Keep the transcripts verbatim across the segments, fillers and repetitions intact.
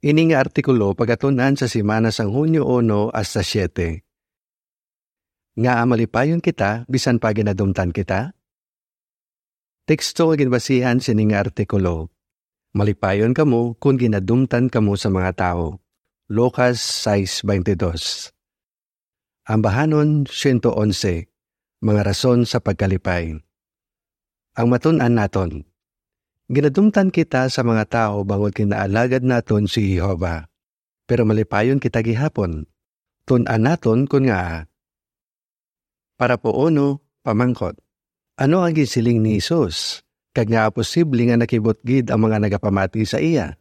Ini nga artikulo pagatun-an sa semana sang Hunyo uno hasta siete. Ngaa malipayon kita bisan pa ginadumtan kita? Teksto nga ginbasihan sini nga artikulo: Malipayon kamo kon ginadumtan kamo sa mga tawo. Lucas sais baynte dos. Ambahanon siyento onse, mga rason sa pagkalipay. Ang matun-an naton: ginadumtan kita sa mga tawo bangod ginaalagad naton si Jehovah. Pero malipayon kita gihapon. Tun-an naton kon ngaa. Parapo uno, pamangkot: Ano ang ginsiling ni Jesus, kag ngaa posible nga nakibot gid ang mga nagapamati sa iya?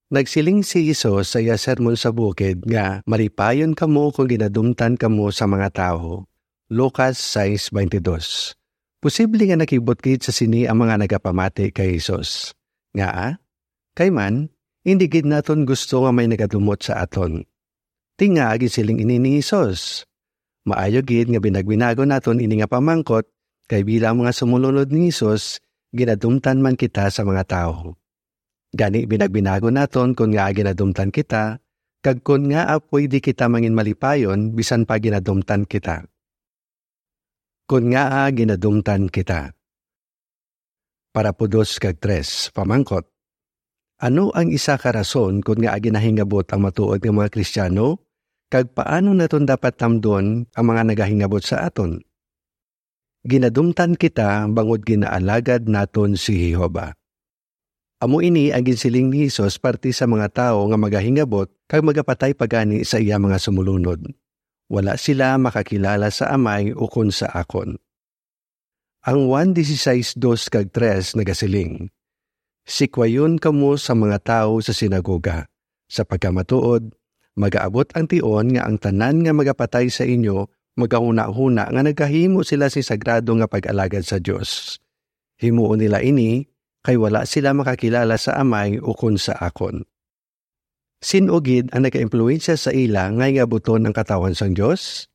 Nagsiling si Jesus sa iya Sermon sa Bukid nga malipayon kamo kon ginadumtan kamo sa mga tawo. Lucas sais baynte dos. Posible nga nakibot gid sa sini ang mga nagapamati kay Jesus. Ngaa? Kay man, indi gid naton gusto nga may nagadumot sa aton. Ti ngaa ginsiling ini ni Jesus? Maayo gid nga binagbinagon naton ini nga pamangkot, kay bilang mga sumulunod ni Jesus, ginadumtan man kita sa mga tawo. Gani, binagbinagon naton kon ngaa ginadumtan kita, kag kon ngaa pwede kita mangin malipayon bisan pa ginadumtan kita. Kon ngaa ginadumtan kita. Parapo dos kag tres, pamangkot: Ano ang isa ka rason kon ngaa ginahingabot ang matuod nga mga Kristiano, kag paano naton dapat tamdon ang mga nagahingabot sa aton? Ginadumtan kita bangod ginaalagad naton si Jehovah. Amo ini ang ginsiling ni Jesus parte sa mga tawo nga magahingabot kag magapatay pa gani sa iya mga sumulunod: Wala sila makakilala sa Amay ukon sa akon. Ang Juan dieciséis dos kag tres nagasiling: Sikwayon kamo sa mga tawo sa sinagoga. Sa pagkamatuod, magaabot ang tion nga ang tanan nga magapatay sa inyo magahunahuna nga nagahimo sila sing sagrado nga pag-alagad sa Dios. Himuon nila ini, kay wala sila makakilala sa Amay ukon sa akon. Sin-o gid ang nagaimpluwensya sa ila nga hingabuton ang katawhan sang Dios?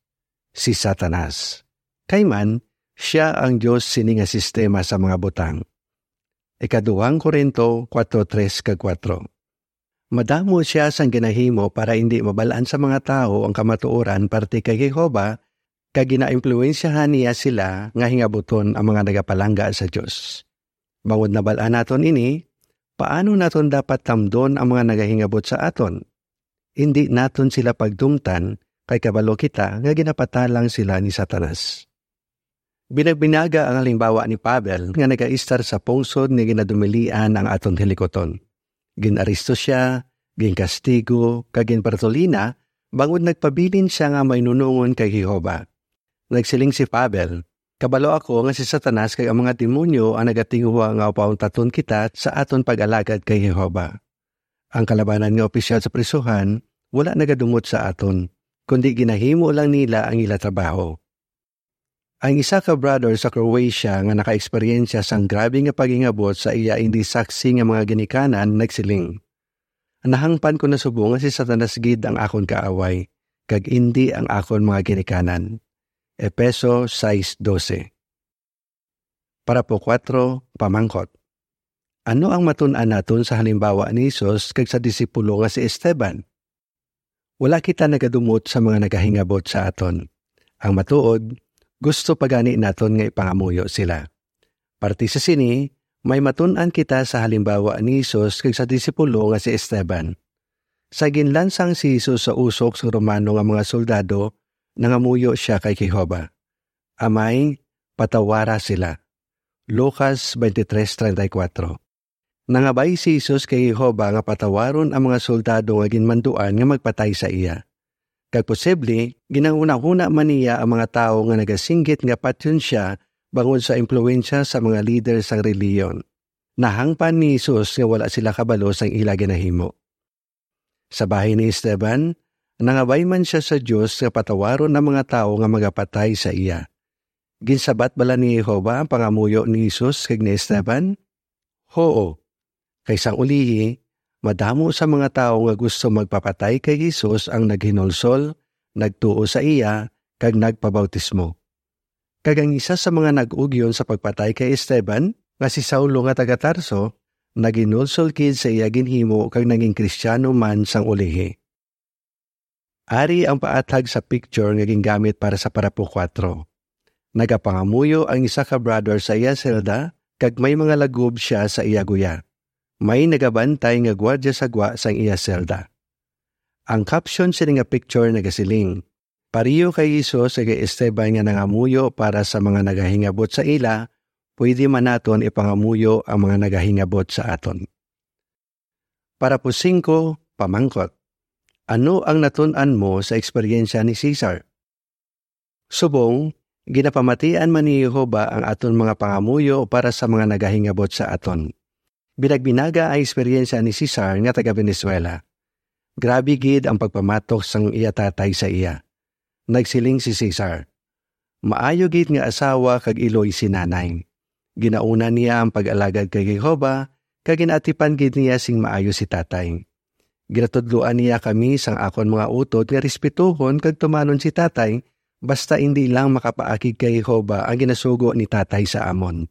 Si Satanas. Kay man, sia ang dios sini nga sistema sa mga butang. Ikaduhang Corinto kuwatro tres kag kuwatro. Madamo sia sang ginahimo para indi mabal-an sa mga tawo ang kamatuoran parte kay Jehovah, kag ginaimpluwensyahan niya sila nga hingabuton ang mga nagapalangga sa Dios. Bangod nabal-an naton ini, paano naton dapat tamdon ang mga nagahingabot sa aton? Indi naton sila pagdumtan, kay kabalo kita nga ginapatalang sila ni Satanas. Binagbinaga ang halimbawa ni Pavel nga nagaistar sa pungsod nga ginadumilian ang aton hilikuton. Gin-aresto sia, ginkastigo, kag ginbartolina bangod nagpabilin sia nga mainunongon kay Jehovah. Nagsiling si Pavel: Kabalo ako nga si Satanas kag ang mga demonyo ang nagatinguha nga pauntaton kita sa aton pag-alagad kay Jehovah. Ang kalabanan nga opisyal sa prisuhan wala nagadumot sa aton, kundi ginahimo lang nila ang ila trabaho. Ang isa ka brother sa Croatia nga nakaeksperyensya sang grabe nga paghingabot sa iya indi saksi nga mga ginikanan nagsiling: Nahangpan ko na subong nga si Satanas gid ang akon kaaway, kag indi ang akon mga ginikanan. Efeso sais dose. Parapo kuwatro, pamangkot: Ano ang matun-an naton sa halimbawa ni Jesus kag sa disipulo nga si Esteban? Wala kita nagadumot sa mga nagahingabot sa aton. Ang matuod, gusto pa gani naton nga ipangamuyo sila. Parte sa sini, may matun-an kita sa halimbawa ni Jesus kag sa disipulo nga si Esteban. Sa ginlansang si Jesus sa usok sang Romano nga mga soldado, nangamuyo sia kay Jehovah: Amay, patawara sila. Lucas twenty-three treinta y cuatro. Nangabay si Jesus kay Jehovah nga patawaron ang mga soldado nga ginmanduan nga magpatay sa iya. Kag posible, ginahunahuna man niya ang mga tawo nga nagasinggit nga patyon sia bangod sa impluwensya sa mga lider sang relihiyon. Nahangpan ni Jesus nga wala sila kabalo sang ila ginahimo. Sa bahin ni Esteban, nangabay man sia sa Dios nga patawaron ang mga tawo nga magapatay sa iya. Ginsabat bala ni Jehovah ang pangamuyo ni Jesus kag ni Esteban? Huo. Kay sang ulihi, madamo sa mga tawo nga gusto magpapatay kay Jesus ang naghinulsol, nagtuo sa iya, kag nagpabautismo. Kag ang isa sa mga nag-ugyon sa pagpatay kay Esteban, nga si Saulo nga taga Tarso, naginulsol gid sa iya ginhimo kag naging Kristiyano man sang ulihi. Ari ang paathag sa picture nga gingamit para sa parapo kuwatro. Nagapangamuyo ang isa ka brother sa iya selda, kag may mga lagob sia sa iya guya. May nagabantay nga gwardya sa gwa sang iya selda. Ang caption sini nga picture nagasiling, "Pareho kay Jesus kag Esteban nga nangamuyo para sa mga nagahingabot sa ila, pwede man naton ipangamuyo ang mga nagahingabot sa aton." Parapo singko, pamangkot. Ano ang natun-an mo sa eksperyensya ni Cesar? Subong, ginapamatian man ni Jehovah ang aton mga pangamuyo para sa mga nagahingabot sa aton. Binagbinaga ang eksperyensya ni Cesar nga taga Venezuela. Grabe gid ang pagpamatok sang iya tatay sa iya. Nagsiling si Cesar, "Maayo gid nga asawa kag iloy si nanay. Ginauna niya ang pag-alagad kay Jehovah, kag ginaatipan gid niya sing maayo si tatay. Ginatudloan niya kami sang akon mga utod nga respetuhon kag tumanon si tatay, basta indi lang makapaakig kay Jehovah ang ginasugo ni tatay sa amon."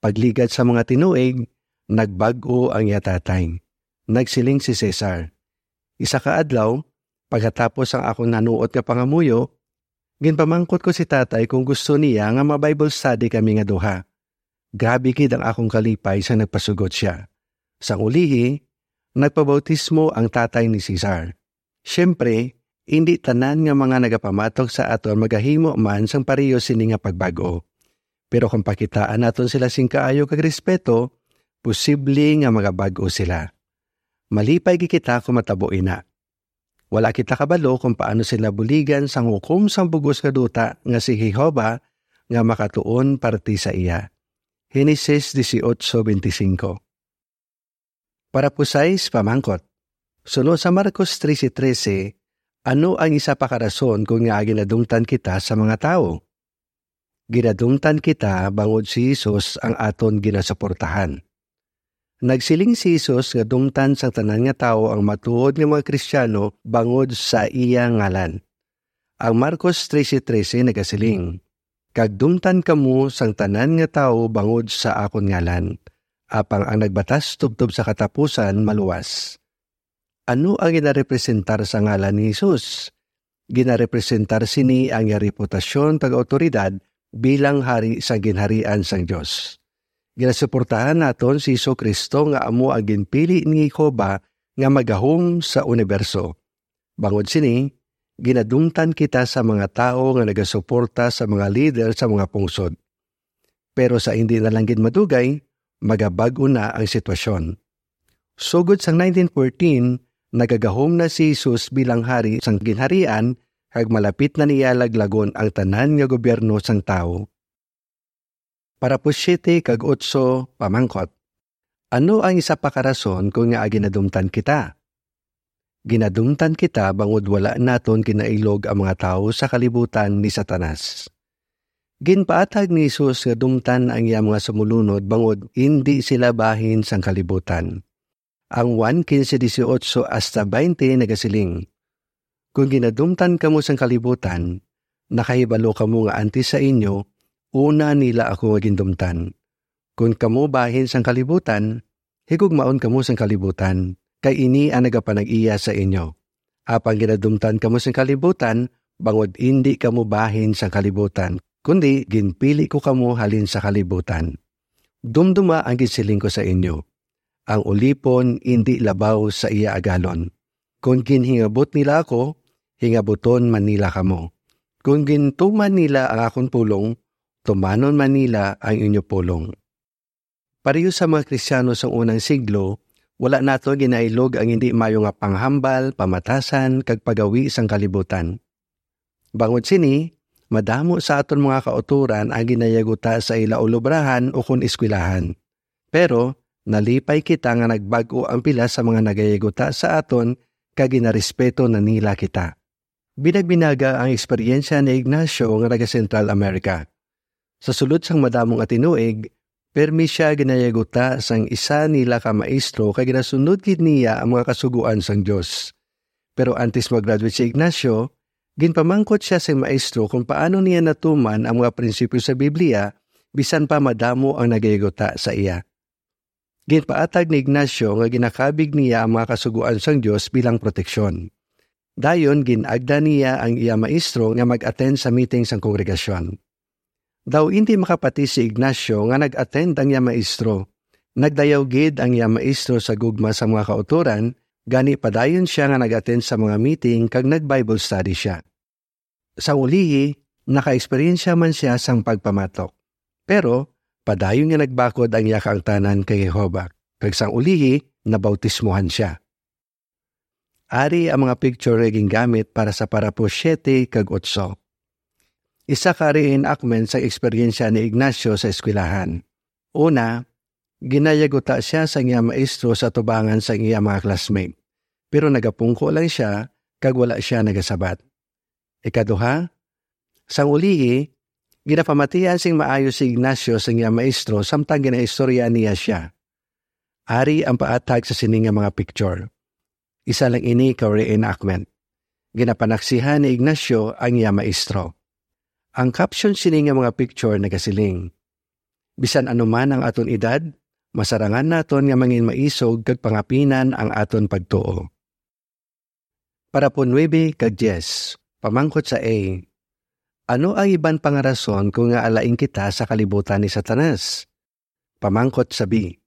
Pagligad sa mga tinuig, nagbag-o ang iya tatay. Nagsiling si Cesar, "Isa ka adlaw, pagkatapos ang akon nanuot nga pangamuyo, ginpamangkot ko si tatay kung gusto niya nga ma-Bible study kami nga duha. Grabe gid ang akong kalipay sa nagpasugot sia." Sang ulihi, nagpabautismo ang tatay ni Cesar. Siyempre, indi tanan nga mga nagapamatok sa aton magahimo man sang pareho sini nga pagbag-o. Pero kung pakitaan naton sila sing kaayo kag respeto, posible nga magabag-o sila. Malipay gid kita kung matabo ina. Wala kita kabalo kung paano sila buligan sang hukom sang bug-os nga duta nga si Jehovah nga makatuon parti sa iya. Genesis dieciocho veinticinco. Parapo sais, pamangkot. Suno sa Marcos trese trese, ano ang isa pa ka rason kon ngaa ginadumtan kita sa mga tawo? Ginadumtan kita bangod si Jesus ang aton ginasuportahan. Nagsiling si Jesus nga dumtan sang tanan nga tawo ang matuod nga mga Kristiyano bangod sa iya ngalan. Ang Marcos trese trese nagasiling, "Kag dumtan kamo sang tanan nga tawo bangod sa akon ngalan, apang ang nagbatas tubtob sa katapusan maluwas." Ano ang ginarepresentar sa ngalan ni Jesus? Ginarepresentar sini ang iya reputasyon kag awtoridad bilang Hari sa Ginharian sang Dios. Ginasuportahan naton si Jesu-Cristo nga amo ang ginpili ni Jehovah nga magahom sa uniberso. Bangod sini, ginadumtan kita sa mga tawo nga nagasuporta sa mga lider sa mga pungsod. Pero sa indi na lang gid madugay, magabag-o na ang sitwasyon. Sugod sang nineteen fourteen, nagagahom na si Jesus bilang Hari sang Ginharian, kag malapit na niya laglagon ang tanan nga gobyerno sang tawo. Parapo siyete kag otso, pamangkot. Ano ang isa pa ka rason kon ngaa ginadumtan kita? Ginadumtan kita bangod wala naton ginailog ang mga tawo sa kalibutan ni Satanas. Ginpaathag ni Jesus nga dumtan ang iya mga sumulunod bangod indi sila bahin sang kalibutan. Ang Juan quince dieciocho hasta veinte nagasiling, "Kon ginadumtan kamo sang kalibutan, nakahibalo kamo nga antes sa inyo, una nila ako nga gindumtan. Kon kamo bahin sang kalibutan, higugmaon kamo sang kalibutan, kay ini ang nagapanag-iya sa inyo. Apang ginadumtan kamo sang kalibutan, bangod indi kamo bahin sang kalibutan, kundi ginpili ko kamo halin sa kalibutan. Dumduma ang ginsiling ko sa inyo, ang ulipon indi labaw sa iya agalon. Kon ginhingabot nila ako, hingabuton man nila kamo. Kon gintuman nila ang akon pulong, tumanon man nila ang inyo pulong." Pareho sa mga Kristiyano sang unang siglo, wala nato ginailog ang indi maayo nga panghambal, pamatasan, kag pagawi sang kalibutan. Bangod sini, madamo sa aton mga kautoran ang ginayaguta sa ila ulobrahan ukon eskwelahan. Pero, nalipay kita nga nagbag-o ang pila sa mga nagayaguta sa aton kag ginarespeto na nila kita. Binagbinaga ang eksperyensya ni Ignacio nga naga-Central America. Sa sulod sang madamo nga tinuig, pirmi sia ginayaguta sang isa nila ka maestro kag ginasunod gid niya ang mga kasugoan sang Dios. Pero antes mag-graduate si Ignacio, ginpamangkot sia sang maestro kon paano niya natuman ang mga prinsipyo sa Biblia, bisan pa madamo ang nagayaguta sa iya. Ginpaatag ni Ignacio nga ginakabig niya ang mga kasugoan sang Dios bilang proteksyon. Dayon, gin-agda niya ang iya maestro nga mag-attend sa meeting sang kongregasyon. Daw indi makapati si Ignacio nga nag-attend ang iya maestro. Nagdayaw gid ang iya maestro sa gugma sa mga kautoran, gani padayon sia nga nag-attend sa mga meeting kag nag-Bible study sia. Sa ulihi, naka-eksperyensya man sia sang pagpamatok. Pero, padayon nga nagbakod ang iya kaangtanan kay Jehovah, kag sang ulihi, nabautismohan sia. Ari ang mga picture nga gingamit para sa parapo siete kag otso. Isa ka reenactment sa eksperyensya ni Ignacio sa eskwelahan. Una, ginayaguta sia sang iya maestro sa atubangan sang iya mga classmate, pero nagapungko lang sia kag wala sia nagasabat. Ikaduha, sang ulihi, ginapamatian sing maayo si Ignacio sang iya maestro samtang ginaistorya niya sia. Ari ang paatag sa sini nga mga picture. Isa lang ini ka reenactment. Ginapanaksihan ni Ignacio ang iya maestro. Ang caption sini nga mga picture nagasiling, "Bisan ano man ang aton edad, masarangan naton nga mangin maisog kag pangapinan ang aton pagtuo." Parapo nuebe kag diyes, pamangkot sa A. Ano ang iban pa nga rason kon ngaa lain kita sa kalibutan ni Satanas? Pamangkot sa B.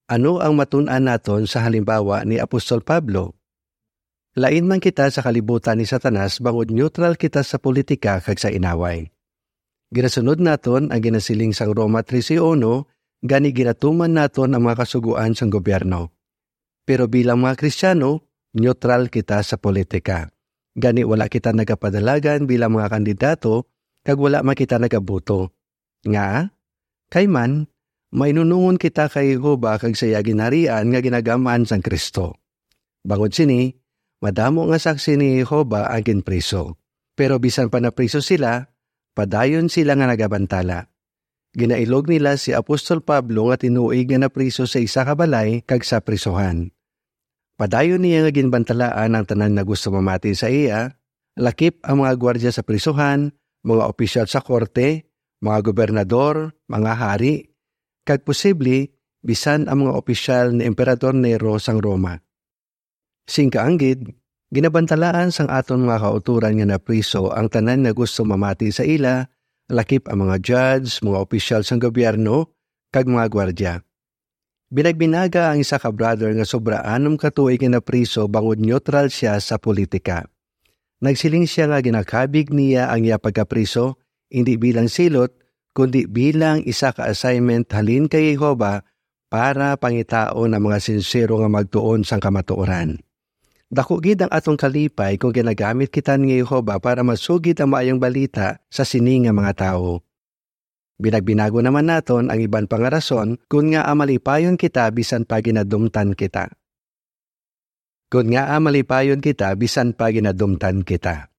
Ano ang matun-an naton sa halimbawa ni Apostol Pablo? Lain man kita sa kalibutan ni Satanas bangod neutral kita sa politika kag sa inaway. Ginasunod naton ang ginasiling sang Roma trese uno, gani ginatuman naton ang mga kasugoan sang gobyerno. Pero bilang mga Kristiyano, neutral kita sa politika. Gani wala kita nagapadalagan bilang mga kandidato, kag wala man kita nagaboto. Nga, kay man, mainunungon kita kay Jehovah kag sa iya ginharian nga ginagam-an sang Cristo. Bangod sini, madamo nga saksi ni Jehovah ang ginpriso. Pero bisan pa napriso sila, padayon sila nga nagabantala. Ginailog nila si Apostol Pablo nga tinuig nga napriso sa isa ka balay kag sa prisuhan. Padayon niya nga ginbantalaan ang tanan nga gusto mamati sa iya, lakip ang mga gwardya sa prisuhan, mga opisyal sa korte, mga gobernador, mga hari, kag posible bisan ang mga opisyal ni Emperador Nero sang Roma. Sing kaanggid, ginabantalaan sang aton mga kautoran nga napriso ang tanan nga gusto mamati sa ila, lakip ang mga judge, mga opisyal sang gobyerno, kag mga gwardya. Binagbinaga ang isa ka brother nga sobra anom ka tuig nga napriso bangod neutral sia sa politika. Nagsiling sia nga ginakabig niya ang iya pagkapriso, indi bilang silot, kundi bilang isa ka assignment halin kay Jehovah para pangitaon ang mga sinsero nga magtuon sang kamatuoran. Daku gid ang aton kalipay kon ginagamit kita ni Jehovah para masugid ang Maayong Balita sa sini nga mga tawo. Binagbinagon naman naton ang iban pa nga rason kon ngaa malipayon kita bisan pa ginadumtan kita. Kon ngaa malipayon kita bisan pa ginadumtan kita.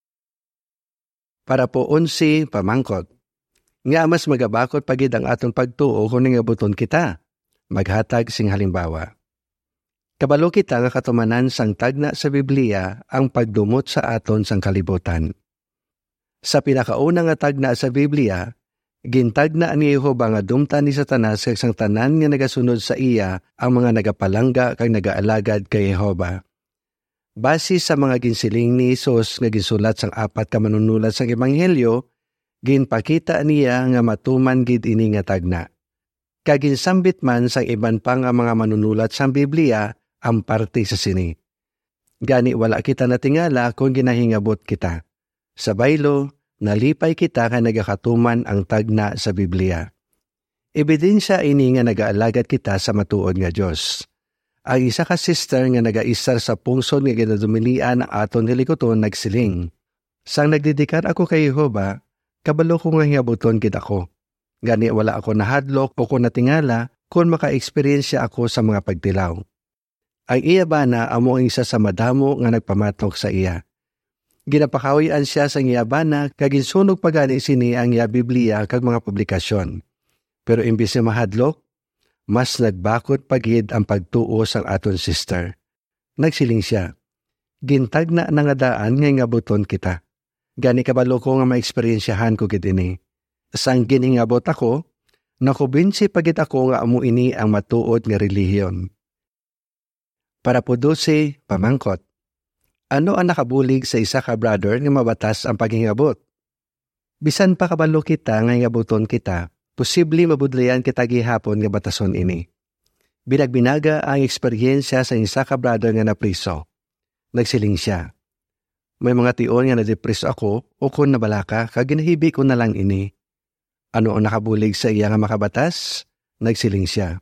Parapo onse, pamangkot. Ngaa mas magabakod pa gid ang aton pagtuo kon hingabuton kita? Maghatag sing halimbawa. Kabalo kita nga katumanan sang tagna sa Biblia ang pagdumot sa aton sang kalibutan. Sa pinakauna nga tagna sa Biblia, gintagna ni Jehovah nga dumtan ni Satanas kag sang tanan nga nagasunod sa iya ang mga nagapalangga kag nagaalagad kay Jehovah. Base sa mga ginsiling ni Jesus nga ginsulat sang apat ka manunulat sang Ebanghelyo, ginpakita niya nga matuman gid ini nga tagna. Kag ginsambit man sang iban pa nga mga manunulat sang Biblia ang parte sa sini. Gani, wala kita natingala kon ginahingabot kita. Sa baylo, nalipay kita kay nagakatuman ang tagna sa Biblia. Ebidensya ini nga nagaalagad kita sa matuod nga Dios. Ang isa ka sister nga nagaistar sa pungsod nga ginadumilian ang aton hilikuton nagsiling, "Sang nagdedikar ako kay Jehovah, kabalo ko nga hingabuton gid ako. Gani wala ako nahadlok o kon natingala kon maka-eksperyensya ako sa mga pagtilaw." Ang iya bana amo ang isa sa madamo nga nagpamatok sa iya. Ginapakahuy-an sia sang iya bana kag ginsunog pa gani sini ang iya Biblia kag mga publikasyon. Pero imbis nga mahadlok, mas nagbakod pa gid ang pagtuo sang aton sister. Nagsiling sia, "Gintagna na nga daan nga hingabuton kita. Gani kabalo ko nga maeksperyensyahan ko gid ini. Sang ginhingabot ako, Nakumbinsi pa gid ako nga amo ini ang matuod nga relihiyon. Parapo dose, pamangkot. Ano ang nakabulig sa isa ka brother nga mabatas ang paghingabot? Bisan pa kabalo kita nga hingabuton kita, posible mabudlayan kita gihapon nga batason ini. Binagbinaga ang eksperyensya sa isa ka brother nga napriso. Nagsiling sia, "May mga tion nga nadepreso ako ukon nabalaka kag ginahibi ko na lang ini." "Ano ang nakabulig sa iya nga makabatas?" Nagsiling sia,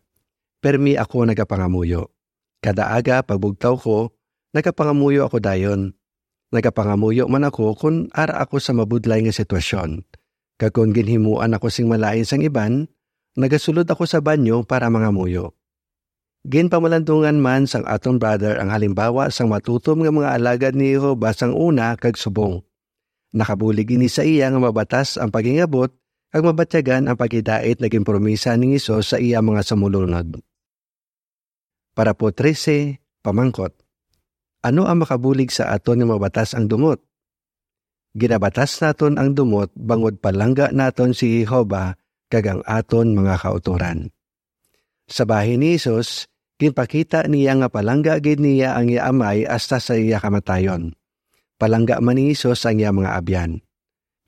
"Permi ako nagapangamuyo. Kada aga pagbugtaw ko, nagapangamuyo ako dayon. Nagapangamuyo man ako kon ara ako sa mabudlay nga sitwasyon. Kag kon ginhimuan ako sing malain sang iban, nagasulod ako sa banyo para mangamuyo." Ginpamalandungan man sang aton brother ang halimbawa sang matutom nga mga alagad ni Jehovah sang una kag subong. Nakabulig ini sa iya nga mabatas ang paghingabot kag mabatyagan ang paghidait nga ginpromisa ni Jesus sa iya mga sumolunod. Parapo trese, pamangkot. Ano ang makabulig sa aton nga mabatas ang dumot? Ginabatas naton ang dumot bangod palangga naton si Jehovah kag ang aton mga kautoran. Sa bahin ni Jesus, ginpakita niya nga palangga gid niya ang iya Amay hasta sa iya kamatayon. Palangga man ni Jesus ang iya mga abyan.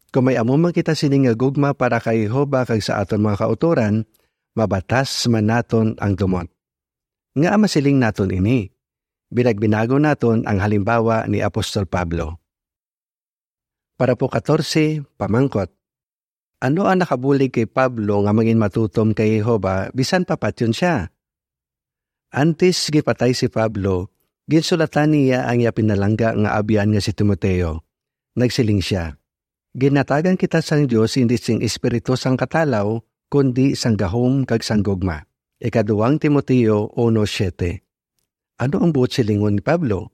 Kon may amo man kita sini nga gugma para kay Jehovah kag sa aton mga kautoran, mabatas man naton ang dumot. Ngaa masiling naton ini? Binagbinagon naton ang halimbawa ni Apostol Pablo. Parapo katorse, pamangkot. Ano ang nakabulig kay Pablo nga mangin matutom kay Jehovah bisan pa patyon sia? Antes gipatay si Pablo, ginsulatan niya ang iya pinalangga nga abyan nga si Timoteo. Nagsiling sia, "Ginhatagan kita sang Dios indi sing espiritu sang katalaw, kundi sang gahom kag sang gugma." Ikaduang Timoteo uno siete. Ano ang buot silingon ni Pablo?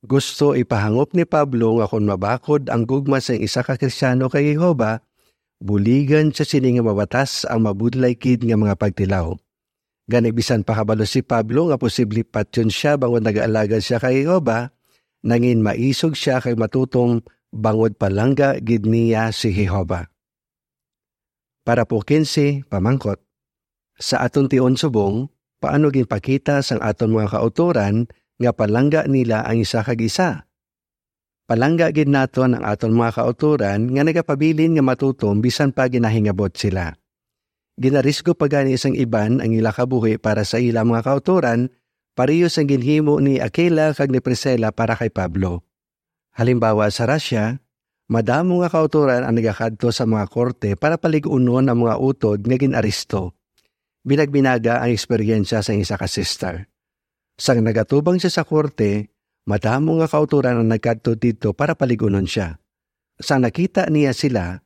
Gusto ipahangop ni Pablo nga kon mabakod ang gugma sang isa ka Kristiano kay Jehovah, buligan sia sini nga mabatas ang mabudlay gid nga mga pagtilaw. Gani, bisan pa kabalo si Pablo nga posible patyon sia bangod nagaalagad sia kay Jehovah, nangin maisog sia kag matutom bangod palangga gid niya si Jehovah. Parapo kinse, pamangkot. Sa aton tion subong, paano ginpakita sang aton mga kautoran nga palangga nila ang isa kag isa? Palangga gid naton ang aton mga kautoran nga nagapabilin nga matutom bisan pa ginahingabot sila. Ginarisgo pa gani sang iban ang ila kabuhi para sa ila mga kautoran, pareho sang ginhimo ni Aquila kag ni Priscilla para kay Pablo. Halimbawa, sa Russia, madamo nga kautoran ang nagakadto sa mga korte para palig-unon ang mga utod nga gin-aresto. Binagbinaga ang eksperyensya sang isa ka sister. Sang nagatubang sia sa korte, madamo nga kautoran ang nagkadto didto para palig-unon sia. Sang nakita niya sila,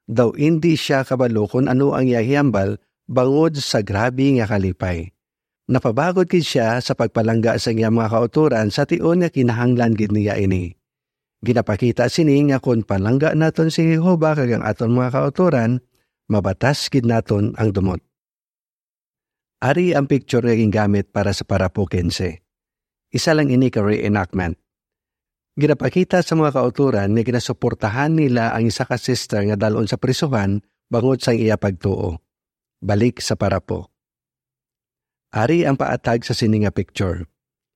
daw indi sia kabalo kon ano ang iya hambal bangod sa grabe nga kalipay. Napabagod gid sia sa pagpalangga sa iya mga kautoran sa tion nga kinahanglan gid niya ini. Ginapakita sini nga kon palangga naton si Jehovah kag ang aton mga kautoran, mabatas gid naton ang dumot. Ari ang picture nga gingamit para sa parapo kinse. Isa lang ini ka reenactment. Ginapakita sa mga kautoran nga ginasuportahan nila ang isa ka sister nga dal-on sa prisuhan bangod sang iya pagtuo. Balik sa parapo. Ari ang paatag sa sini nga picture.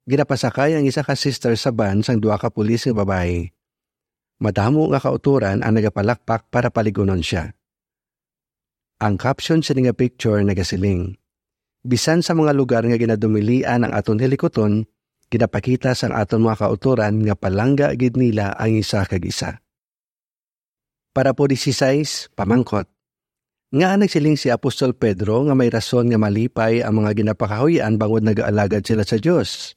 Ginapasakay ang isa ka sister sa van sang duha ka pulis nga babayi. Madamo nga kautoran ang nagapalakpak para palig-unon sia. Ang caption sini nga picture nagasiling, "Bisan sa mga lugar nga ginadumilian ang aton hilikuton, ginapakita sang aton mga kautoran nga palangga gid nila ang isa kag isa." Parapo dieciséis, pamangkot. Ngaa nagsiling si Apostol Pedro nga may rason nga malipay ang mga ginapakahuy-an bangod nagaalagad sila sa Dios?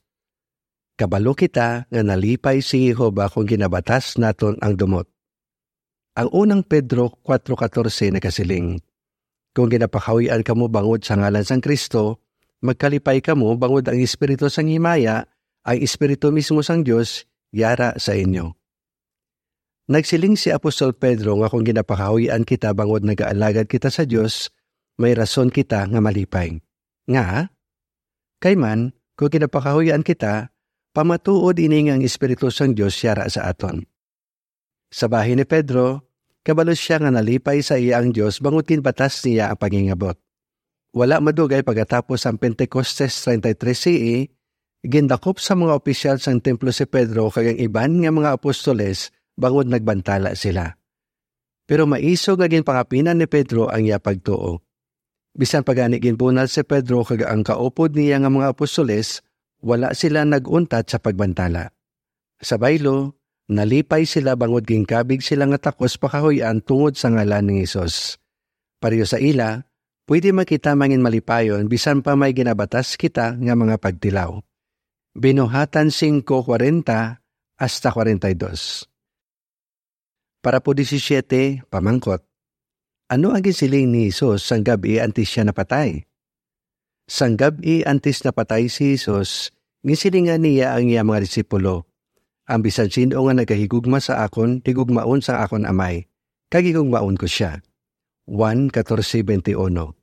Kabalo kita nga nalipay si Jehovah kon ginabatas naton ang dumot. Ang unang Pedro kuwatro katorse nagasiling, "Kon ginapakahuy-an kamo bangod sa ngalan sang Cristo, magkalipay kamo bangod ang Espiritu sang himaya, ang Espiritu mismo sang Dios, yara sa inyo." Nagsiling si Apostol Pedro nga kon ginapakahuy-an kita bangod nagaalagad kita sa Dios, may rason kita nga malipay. Ngaa? Kay man, kon ginapakahuy-an kita, pamatuod ini nga ang Espiritu sang Dios yara sa aton. Sa bahin ni Pedro, Kabalo sia nga nalipay sa iya ang Dios bangod ginbatas niya ang pagingabot. Wala madugay pagkatapos sang Pentecostes thirty-three C E, gindakop sa mga opisyal sang templo si Pedro kag ang iban nga mga apostoles bangod nagbantala sila. Pero maisog nga ginpangapinan ni Pedro ang iya pagtuo. Bisan pa gani ginbunal si Pedro kag ang kaupod niya nga mga apostoles, wala sila nag-untat sa pagbantala. Sa baylo, nalipay sila bangod ginkabig sila nga takos pakahuy-an tungod sa ngalan ni Jesus. Pareho sa ila, pwede man kita mangin malipayon bisan pa may ginabatas kita nga mga pagtilaw. Binuhatan singko kuwarenta hasta kuwarenta y dos. Parapo disisiete, pamangkot. Ano ang ginsiling ni Jesus sang gab-i antes sia napatay? Sang gab-i antes napatay si Jesus, ginsilingan niya ang iya mga disipulo, "Ang bisan sin-o nga nagahigugma sa akon, higugmaon sang akon Amay, kag higugmaon ko sia." Juan catorce veintiuno.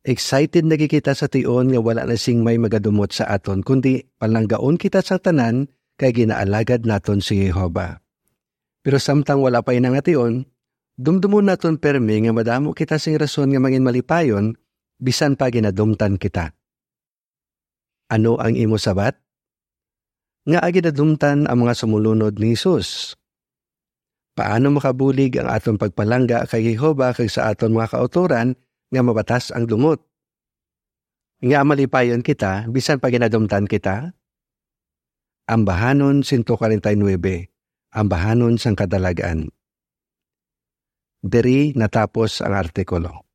Excited na gid kita sa tion nga wala na sing may magadumot sa aton, kundi palanggaon kita sa tanan kay ginaalagad naton si Jehovah. Pero samtang wala pa ina nga tion, dumdumon naton permi nga madamo kita sing rason nga mangin malipayon bisan pa ginadumtan kita. Ano ang imo sabat? Ngaa ginadumtan ang mga sumulunod ni Jesus? Paano makabulig ang aton pagpalangga kay Jehovah kag sa aton mga kautoran nga mabatas ang dumot? Ngaa malipayon kita bisan pa ginadumtan kita? Ambahanon sento kwarenta y nuebe, Ambahanon sang Kadalag-an. Diri natapos ang artikulo.